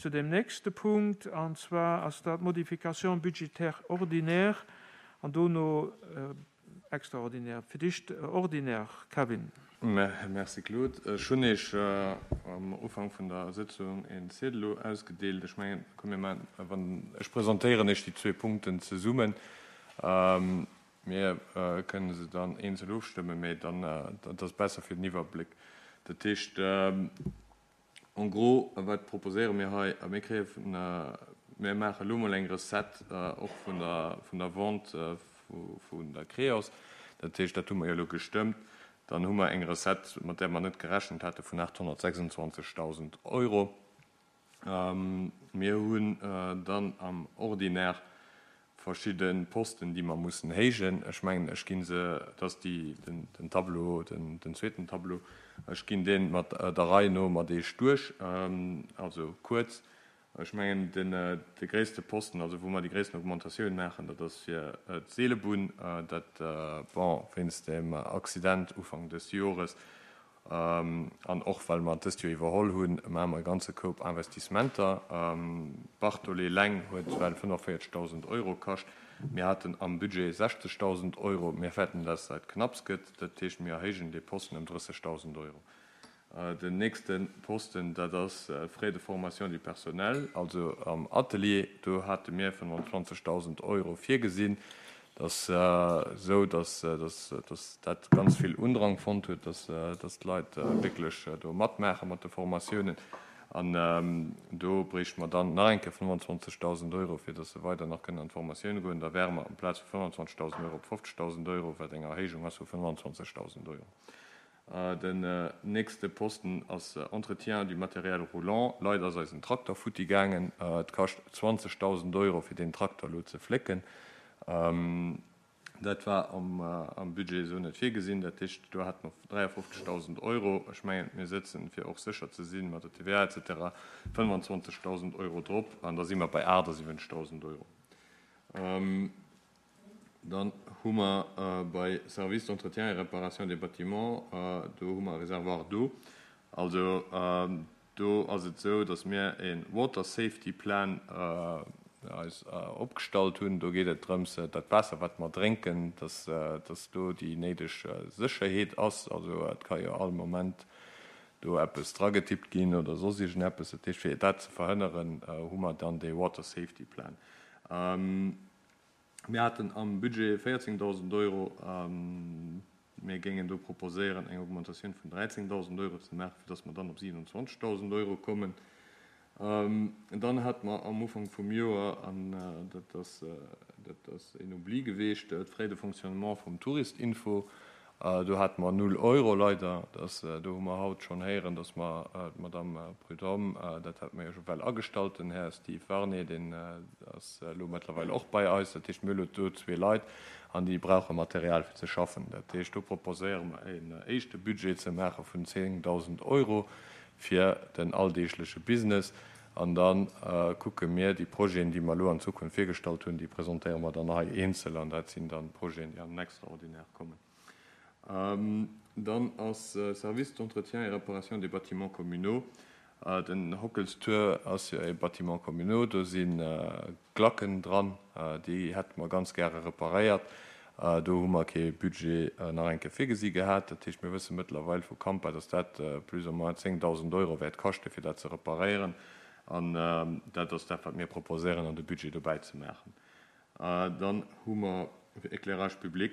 zu deem nächste Punkt, an zwar ass dat d'Modification budgétaire ordinaire an dono extraordinaire. Fir d'éischt ordinaire, Kevin. Merci Claude. Ech hunn Iech am Ufank vun der Sëtzung een Ziedel elo ausgedeelt. Ech mengen, komm mir maachen, wann, ech presentéieren Iech déi zwee Punkten zesummen. Mir kënne se dann eenzel ofstëmmen, mee dann, dat ass besser fir den Iwwerbléck. Dat heescht, En gros, wat proposéiere mir hei? Mir kréie vun, mir maache elo mol eng Recette och vun der, vun der Vente vun der Creos. Dat heescht, dat hu mer jo elo gestëmmt. Dann hu mer eng Recette, mat där mer net gerechent hate vun 826.000 Euro. Mir hunn dann am Ordinaire verschidde Posten, déi mer mussen héijen. Ech mengen, ech gi se, dat ass déi, den Tableau, den zweeten Tableau, ech ginn dee mat der Rei no mat Iech duerch, also kuerz. Ech mengen, den, de gréisste Posten, also wou mer déi gréissten Augmentatioun maachen, dat ass fir d'Seelebunn, dat, bon, wéinst dem Accident Ufank dës Jores, An och well mer et dëst Joer iwwerholl hunn, maache mer e ganze Koup Investissementer. D'Bartolé eleng huet well 45.000 Euro kascht. Mir haten am Budget 60.000 Euro. Mir fäerten, dass dat knapps gëtt. Dat heescht, mir erhéijen dee Posten ëm 30.000 Euro. Den nächste Posten, dat ass Frais de formation du personnel, also am Atelier. Do hate mir 25.000 Euro virgesinn. Et ass esou, datt dat ganz vill Undrang fonnt huet, datt d'Leit wierklech do matmaache mat de Formatiounen. An do bréichte mer dann nach eng Kéier 25.000 Euro, fir datt se weider nach kënnen an d'Formatioune goen. Da wäre mer amplaz vu 25.000 Euro op 50.000 Euro, wat eng Erhéijung ass vu 25.000 Euro. Den nächste Posten ass Entretien du matériel roulant. Leider ass eisen Trakter futti gaangen. Et kascht 20.000 Euro fir deen Trakter elo ze flécken. Dat war am Budget esou net virgesinn. Dat heescht, do hate mer 53.000 Euro. Ech mengen, mir sëtzen, fir och sécher ze sinn, mat der TVA et cetera, 25.000 Euro drop an da si mer bei 78.000 Euro. Dann hu mer bei Service d'entretien et réparation des bâtiments, do hu mer e Réservoir d'eau. Also do ass et esou, datt mir e Water Safety Plan eis opgestallt hunn. Do geet et drëms, dat Waasser, wat mer drénken, datt do déi néideg Sécherheet ass. Also et ka jo all Moment do eppes dragetippt ginn oder soss iergendeppes. Dat heescht, fir dat ze verhënneren, hu mer dann dee Water Safety Plan. Mir haten am Budget 14.000 Euro. Mir géingen do proposéieren, eng Augmentatioun vun 13.000 Euro ze maachen, fir dass mer dann op 27.000 Euro kommen. Dann hate mer am Ufank vum Joer, an dat ass, dat ass een Oubli geweecht, d'Frais de fonctionnement vum Touristinfo. Do hate mer null Euro leider. Dass, do hu mer haut schonn héieren, dass mer d'Madame Prudhomme, dat hate mer jo scho well agestallt, den Här Steve Warné, deen ass elo mëttlerweil och bei eis. Dat heescht, mir hu elo do zwee Leit an déi brauche Material fir ze schaffen. Dat heescht, do proposéiere mer en éischte Budget ze maache vun 10.000 Euro fir den alldeegleche Business. An da kucke mir déi Projeten, déi mer elo an Zukunft virgestallt hunn, déi presentéiere mer dann hei eenzel an dat sinn dann d'Projeten, déi an den Extraordinaire kommen. Dann ass Service d'entretien et réparation des bâtiments communaux. Den Hockelstour ass jo e Bâtiment communaux, do si Glacken dran, déi hätte mer ganz gäre reparéiert. Do hu mer kee Budget nach eng Kéier virgesi gehat. Dat heescht, mir wësse mëttlerweil vu Kampa, dass dat plus ou moins 10.000 Euro wäert kaschte fir dat ze reparéieren. An dat ass dat, wat mir proposéieren an de Budget dobäi ze maachen. Dann hu mer fir Éclairage public,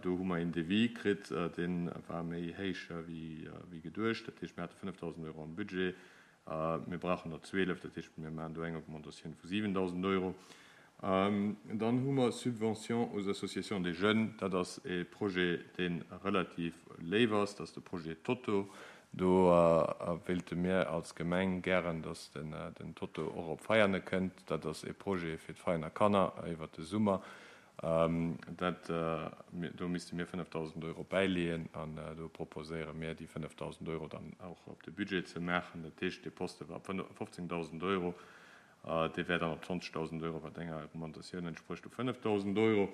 do hu mer een Devis kritt, dee war méi héich wéi geduecht. Dat heescht, mir hate 5.000 Euro am Budget. Mir brauchen der 12, dat heescht, mir maachen do eng Augmentatioun vu 7.000 Euro. Dann hu mer Subventions aux associations des jeunes. Dat ass e Projet, dee relativ léif ass. Dat ass de Projet Toto. Do wéilte mir als Gemeng gären, dass den Toto och op Veiane kënnt. Dat ass e Projet fir d'Veianer Kanner iwwert de Summer. Dat, do misste mir 5.000 Euro bäileeën an do proposéiere mir, déi 5.000 Euro dann och op de Budget ze maachen. Dat heescht, dee Poste war op 15.000 Euro, dee wär dann op 20.000 Euro, wat enger Augmentatioun entsprécht vu 5.000 Euro.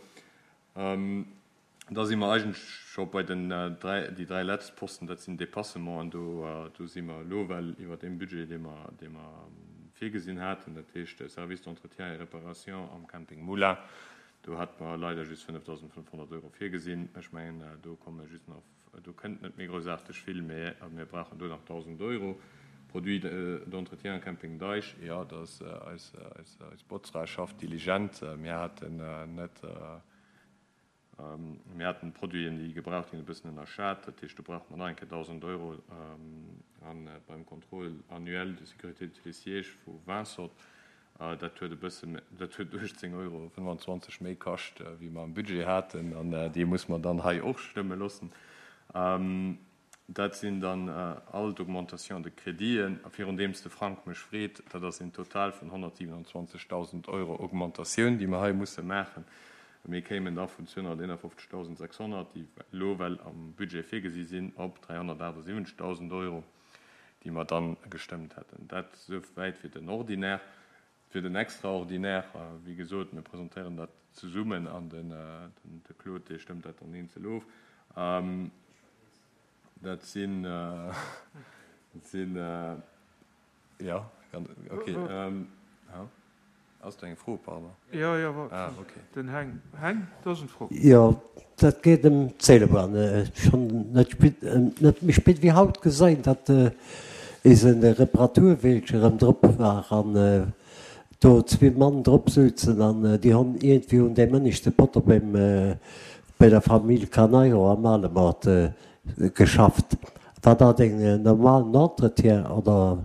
Da si mer eigentlech scho bei den dräi, déi dräi letzt Posten, dat sinn Dépassementen. Do, do si mer elo well iwwer deem Budget, dee mer, dee mer. virgesinn haten, dat heescht de Service d'entretien et réparation am Camping Moulin. Do hate mer leider just 5.500 Euro virgesinn. Ech mengen, do komme just nach, do kënnt net méi groussaarteg vill, mä mir brauchen do nach 1.000 Euro. Produits d'entretien am Camping Deich, jo, dat ass eis, eis Botzra schafft diligent. Mir haten net. Mir haten d'Produiten, déi gebraucht ginn, e bëssen ënnerschat. Dat heescht, do brauche mer nach eng Kéier 1.000 Euro. A beim Contrôle annuel de sécurité de télésiège vu Vinsort, dat huet e bësse, dat huet 18,25 Euro méi kascht, wéi mer am Budget haten. An dee muss mer dann hei och stëmme loossen. Dat sinn dann all d'Augmentations de créditen. A virun deems de Frank mech freet, dat ass een Total vun 127.000 Euro Augmentatioun, déi mer hei musse maachen. Mir kéimen da vun 251.600, déi elo well am Budget virgesi sinn, op 378.000 Euro, déi mer dann gestëmmt hätten. Dat esouwäit fir den Ordinaire. Fir den Extraordinaire, wéi gesot, mir presentéieren dat zesummen an de Claude, dee stëmmt dat dann eenzel of. Dat sinn, dat sinn, jo, okay. Ass do eng Fro, pardon? Jo, jo, ah, okay. Den Heng. Heng, do ass eng Fro. Jo, dat geet ëm d'Seelebahn. Ech hunn net spit, net méi spit wéi haut geséin, datt eise Reparaturweelche erëm drop war an do zwee Mann drop souzen an déi honn iergendwéi un deem ënneschte Potto beim, bei der Famill Carneiro am Alemort geschafft. War dat en normalen Entretien oder?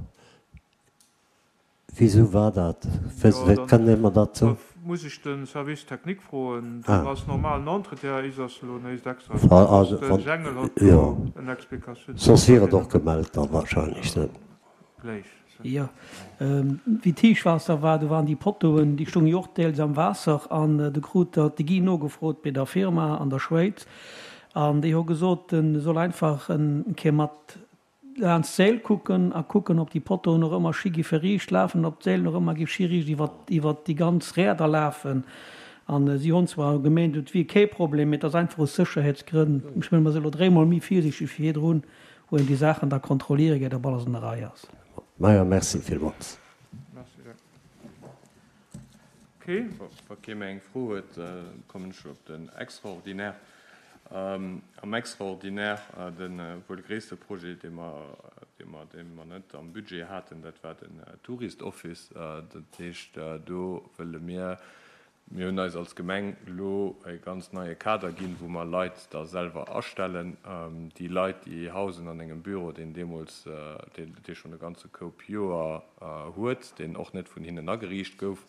Wisou war dat? Wéi kënnt ee mer dat soen? Da muss ech de Service technique froen. Dat ass normalen Entretien, is ass elo néist extra. De Jengel huet do en Explikatioun. Soss wier et och gemellt dann wahrscheinlech, ne? Gléich. Jo, wéi d'Héichwaasser war, do waren déi Pottoen, déi stounge jo och deels am Waasser an du krut der de Guy nogefrot bei der Firma an der Schwéiz an déi hu gesot, en soll einfach en Kéier mat Laanscht d'Séil kucken a kucken, ob déi Pottoen och ëmmer schi giffe riicht lafen, ob d'Séil och ëmmer giff schi riicht iwwer déi ganz Räder lafen. An si honn zwar gemeent, et wier kee Problem, mee et ass einfach aus Sécherheetsgrënn. Ech mengen, mer si elo dréimol méi virsiichteg wéi virdrun, wou een déi Saachen da kontrolliere geet, ob alles an der Rei ass. Majo, merci villmools. Ok, wa kee méi eng Fro huet, kommen ech op den Extraordinaire. Am Extraordinaire, de wuel gréisste Projet, dee mer, dee mer, dee mer net am Budget haten, dat war den Tourist Office. Dat heescht, do wëlle mir, mir hunn eis als Gemeng elo e ganz neie Kader ginn, wou mer Leit da selwer astellen. Déi Leit, déi hausen an engem Büro, deen deemools, dee schonn e ganze Koup Joer huet, deen och net vun hinnen ageriicht gouf.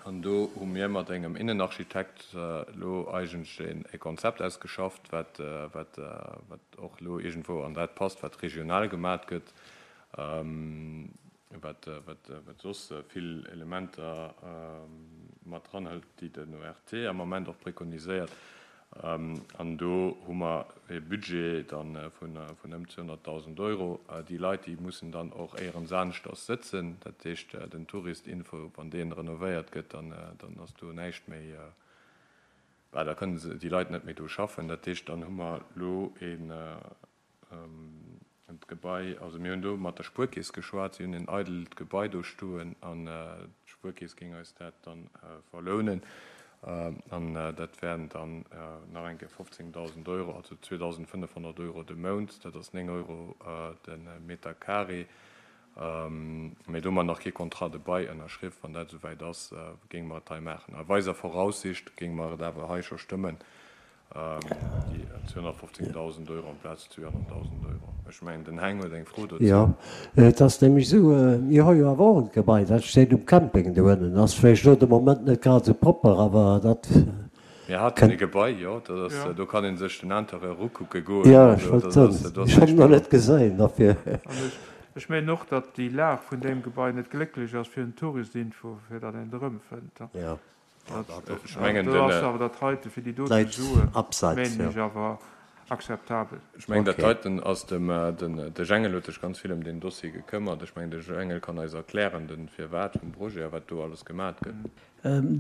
An do hu mir mat engem Innenarchitekt elo eigentlech e Konzept ausgeschafft, wat och elo iergendwou an dat passt, wat regional gemat gëtt, wat soss vill Elementer mat dranhëlt, déi den ORT am Ament och prekoniséiert. An do hu mer e Budget da vun ëm 200.000 Euro. Déi Leit, déi mussen dann och éierens aneschters sëtzen. Dat heescht, den Tourist-Info, wann dee renovéiert gëtt, dann ass do näischt méi, bah, da kënnen déi Leit net méi do schaffen. Dat heescht, dann hu mer elo een D'Gebai, also mir hunn do mat der Spuerkeess geschwat, si hunn en eidelt Gebai do stoen an d'Spuerkeess géing eis dat dann verlounen an dat wären dann nach eng Kéier 15.000 Euro, also 2.500 Euro de Mount, dat ass 9 Euro de Meter carré. Mee do hu mer nach kee Contrat de bail ënnerschriww. Wann dat esouwäit ass, géinge mer et hei maachen. A weiser Voraussicht géinge mer et awer hei scho stëmmen. Déi 215.000 Euro amplaz 200.000 Euro. Ech mengen, den Heng huet eng Fro dozou. Jo, et ass nämlech esou, mir hu jo awer och e Gebai, dat steet um Camping do ënnen. Ass vläicht elo de Moment net grad esou propper, awer dat Mir haten e Gebai, jo, dat ass, do kann ee sech den Interieur ukucke goen. Jo, ech wollt soen, ech hunn en nach net geséin, dofir. An ech mengen och, datt déi Lag vun deem Gebai net glécklech ass fir den Touristinfo, fir datt een et erëmfënnt. Jo. Ech mengen, do ass awer dat heite fir déi dote Suen, mengen ech awer. Akzeptabel. Ech mengen, dat heiten ass dem, de Jengel huet sech ganz vill ëm deen Dossier gekëmmert. Ech mengen, de Jengel kann eis erklären de Firwat vum Projet a wat do alles gemat gëtt.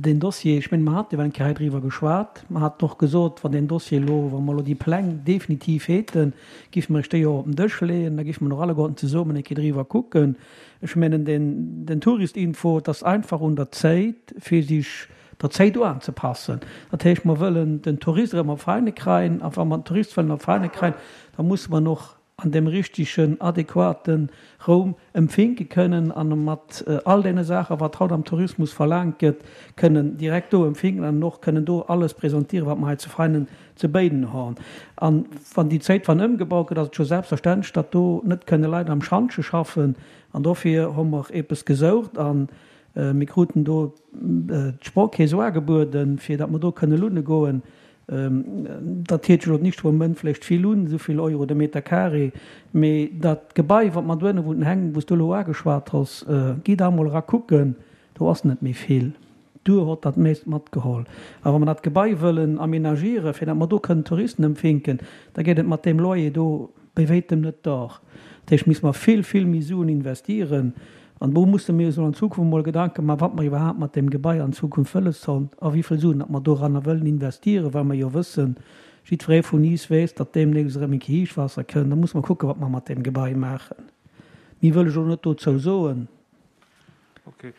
Deen Dossier, ech mengen, mer haten jo eng Kéier hei driwwer geschwat. Mer haten och gesot, wann deen Dossier elo, wa mer elo déi Pläng definitiv häten, géife mer iech déi och op den Dësch leeën, da géife mer och alleguerten zesummen eng Kéier driwwer kucken. Ech mengen, den, den Touristinfo, et ass einfach un der Zéit, fir sech der Zéit uanzepassen. Dat heescht, mer wëllen den Tourist erëm op Veine kreien, a wa mer den Tourist wëllen op Veine kreien, da musse mer en och an deem richtegen, adequate Raum empfinke kënnen an e mat all deene Saachen, wat haut am Tourismus verlaangt gëtt, kënnen direkt do empfinken an och kënnen do alles presentieren, wat mer hei zu Veinen ze béiden hon. A wann déi Zéit wann ëmgebaut gëtt, ass et scho selbstverständlech, datt do net kënne Leit am Schantje schaffen. An dofir hu mer eppes gesoucht a Mir kruten do d'Sprockkeess uagebueden, fir datt mer do kënne lunne goen. Dat hiert sech elo nicht vum Moment vläicht vill un, esou vill Euro de Meter carré, mee dat Gebai, wat mer dohinne wou den Heng, wou s du elo uageschwat hues, gi da emol era kucken, do ass net méi vill. D'Duer hott dat meescht matgeholl. A wa mer dat Gebai wëllen aménagieren, fir datt mer do kënnen Touristen empfinken, da geet et mat deem Loyer do bei wéitem net dor. Dat heescht, misste mer vill, vill méi Suen investieren. An do musse mir eis elo an Zukunft emol Gedanke maachen, wat mer iwwerhaapt mat deem Gebai an Zukunft wëlles hunn a wéi vill Suen datt mer doranner wëllen investieren, well mer jo wëssen, jiddweree vun iis weess, datt deemnächst erëm eng Kéier Héichwaasser kënn. Da musse mer kucken, wat mer mat deem Gebai maachen. Méi wëll ech elo net dozou soen. Ok.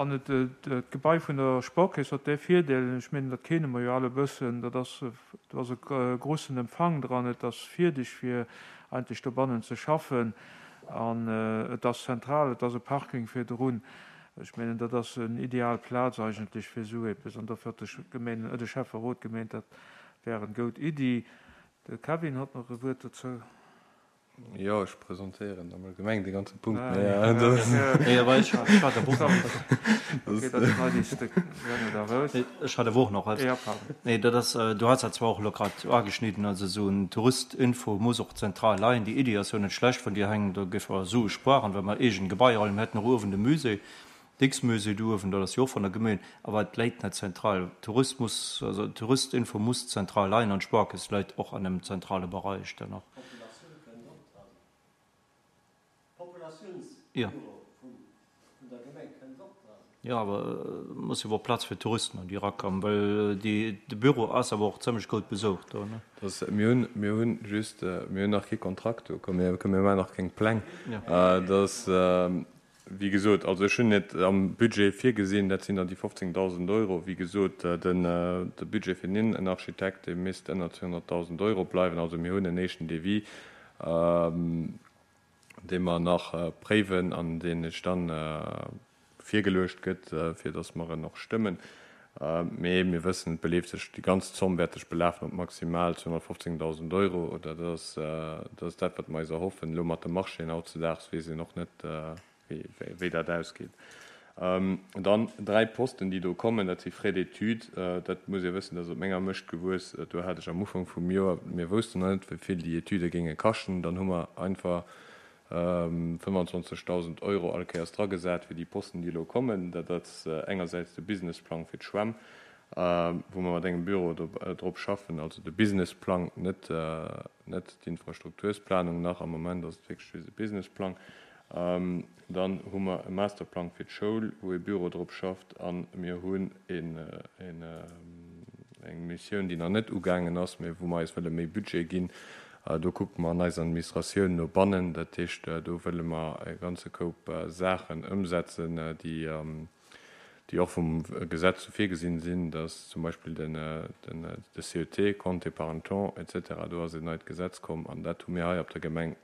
An et, d'Gebai vun der Sparkeess huet dee Virdeel, ech mengen, dat kenne mer jo all e bëssen, dat ass, do ass e grussen Empfang dran, et ass fierdeg fir eigentlech dobannen ze schaffen an et ass zentral, et ass e Parking virdrun. Ech mengen, dat ass en ideal Plaz eigentlech fir esou eppes an dofir huet de Gemeen, de Schäfferot gemeent, dat wär en goud Iddi. De Kevin huet nach e Wuert dozou. Jo, ech presentéieren am Allgemeng de ganze Punkt. Ech hat awer och nach eppes. Nee, dat ass, du has dat zwar och elo grad uageschnidden, also esou en Touristinfo muss och zentral leien. Déi Iddi ass jo net schlecht vun dir, Heng, do géife mer Sue spueren, well mer eegen Gebaier mir hätten och uewen de Musée, d'Dixmusée do uewen, dat ass jo och vun der Gemeen, awer et läit net zentral. Tourismus, also Touristinfo muss zentral leien an d'Spuerkeess läit och an engem zentrale Bereich dann och. D'Populatioun kënnt och dran. D'Populatiounsbüro vun der Gemeng kënnt och dran. Jo, awer et muss jo awer och Plaz fir Touristen an déi erakommen, well déi, de Büro ass awer och zëmmlech goud besoucht do, ne? Dass, mir hunn, mir hunn just, mir hunn nach kee Kontrakt do, komm, mir, mir maachen nach keng Pläng. Dass, Wéi gesot, also ech hunn et am Budget virgesinn, dat sinn dann déi 15.000 Euro. Wéi gesot, de Budget fir den Innenarchitekt, dee misst ënner 200.000 Euro bleiwen. Also mir hunn en éischten Devis, dee mer nach préiwen an deen ech dann virgeluecht gëtt, fir datt mer en och stëmmen. Mee mir wëssen, et beleeft sech, déi ganz Zomm wäert sech belafen op maximal 215.000 Euro, oder dat ass, dat ass dat, wat mer eis erhoffen. Elo mat de Marchéen hautzedaags weess een och net, wéi dat ausgeet. Dann dräi Posten, déi do kommen, dat si Frais d'études. Dat muss ee wëssen, dat ass op menger Mëscht gewuess. Do hat ech am Ufank vum Joer, mir woussten nach net, wéi vill déi Etüde géinge kaschten, dann hu mer einfach 25.000 Euro all Kéiers dragesat fir déi Posten, déi elo kommen. Dat ass engersäits de Businessplang fir d'Schwämm, wou mer mat engem Büro drop schaffen, also de Businessplang, net d'Infrastruktursplanung nach. Am Moment ass et wierklech just e Businessplang. Dann hu mer e Masterplang fir d'Schoul, wou e Büro drop schafft. A mir hunn eng Missioun, déi nach net ugaangen ass, mä wou mer eis wëlle méi Budget ginn, Do kucke mer an eiser Administratioun no bannen. Dat heescht, do wëlle mer e ganze Koup Saachen ëmsetzen, déi och vum Gesetz sou virgesinn sinn, dass zum Beispill de CET, Compte épargne temps, et cetera, do ass en neit Gesetz komm an dat hu mir hei op der Gemeng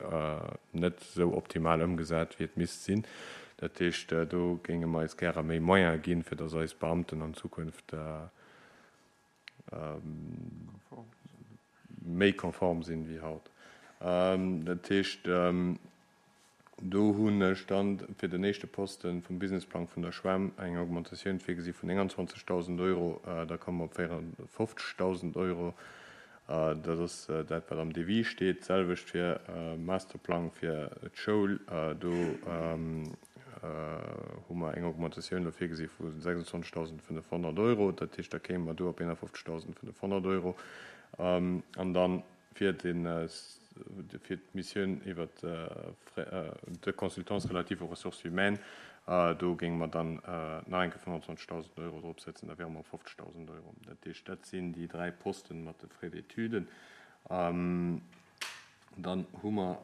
net esou optimal ëmgesat, wéi et misst sinn. Dat heescht, do géinge mer eis gäre méi Moyene ginn, fir dass eis Beamten an Zukunft méi konform sinn wéi haut. Dat heescht, do hunn ech dann fir den éischte Poste vum Businessplang vun der Schwämm eng Augmentatioun virgesi vun 29.000 Euro. Da komme mer op 54.000 Euro. Dat ass dat, wat am Devis steet. D'selwecht fir Masterplang fir d'Schoul. Do hu mer eng Augmentatioun elo virgesi vu 26.500 Euro. Dat heescht, da kéime mer do op 51.500 Euro. An dann. Fir fir d'Missioun iwwer de Consultance relative aux ressources humaines, do géinge mer dann nach eng Kéier 25.000 Euro dropsetzen, da wiere mer op 50.000 Euro. Dat heescht, dat sinn déi dräi Posten mat de Frais d'études. Dann hu mer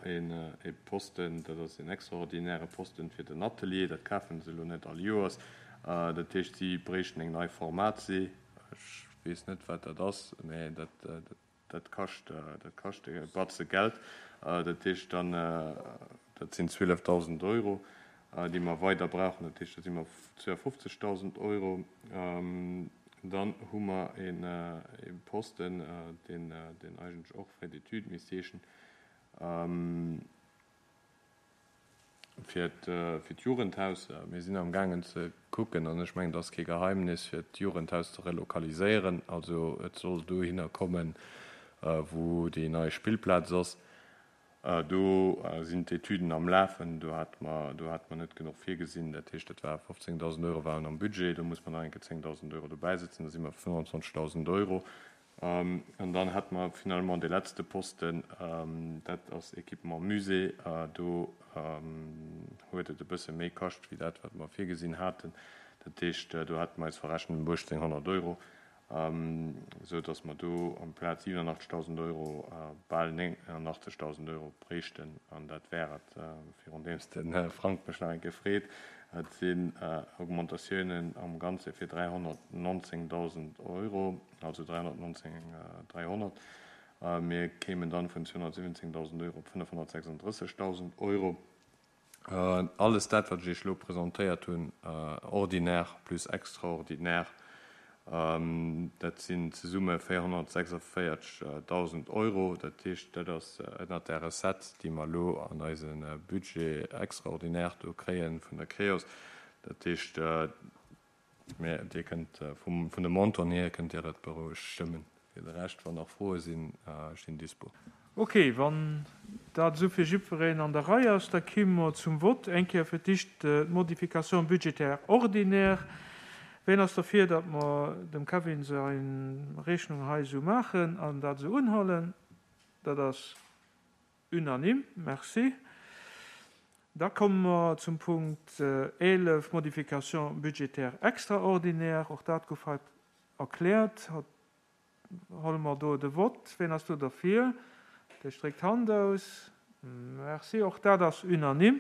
e Posten, dat ass en extraordinäre Posten fir den Atelier, dat kafe se elo net all Joers. Dat heescht, si bréichten eng nei Formatie. Ech weess net, wat dat ass, mä dat Dat kascht, dat kascht e Batze Geld. Dat heescht dann, dat sinn 12.000 Euro, déi mer weider brauchen. Dat heescht, da si mer op 52.000 Euro. Dann hu mer e Posten, deen, deen eigentlech och Frais d'études misst heeschen. Fir d'Jugendhaus, mir sinn am gaangen ze kucken, an ech mengen, dat ass kee Geheimnis, fir d'Jugendhaus ze relokaliséieren. Also et soll dohinner kommen, wou déi nei Spillplaz ass. Do sinn d'Etüden am Lafen. Do hate mer, do hate mer net genuch virgesinn. Dat heescht, dat war 15.000 Euro waren am Budget. Do muss mer nach eng Kéier 10.000 Euro dobäisetzen. Da si mer op 25.000 Euro. An dann hätte mer finalement dee letzte Posten, dat ass Équipement Musée. Do huet et e bësse méi kascht wéi dat, wat mer virgesinn haten. Dat heescht, do hate mer eis verrechent ëm 1.800 Euro, esou datt mer do amplaz 87.000 Euro bal 89.000 Euro bréichten. An dat wär et, virun deem s de Frank mech nach eng Kéier freet. Et sinn Augmentatiounen am Ganze fir 319.000 Euro. also 319 300. Mir kéimen dann vun 217.000 Euro op 536.000 Euro. Alles dat, wat ech Iech elo presentéiert hunn, ordinaire plus extraordinaire, dat sinn zesumme 446.000 Euro. Dat heescht, dat ass ënnert där Recette, déi mer elo an eise Budget extraordinaire do kréie vun der Creos. Dat heescht, Mä Dir kënnt vum, vun de Montanten hier kënnt Dir et berouegt stëmmen. Fir de Rescht, wann nach Froe sinn, ech sinn dispo. Ok, wann dat esou fir jiddwereen an der Rei ass, da kimme mer zum Vott. Eng Kéier fir d'éischt d'Modification budgétaire ordinaire. Ween ass derfir, datt mer dem Kevin seng Rechnung hei esou maachen an dat esou unhuelen? Dat ass Unanime, merci. Da komme mer zum Punkt 11, Modification budgétaire extraordinaire. Och dat gouf hei erkläert. Huele mer do de Vott. Wien ass do derfir? Dir stréckt d'Hand aus. Merci. Och dat ass unanime.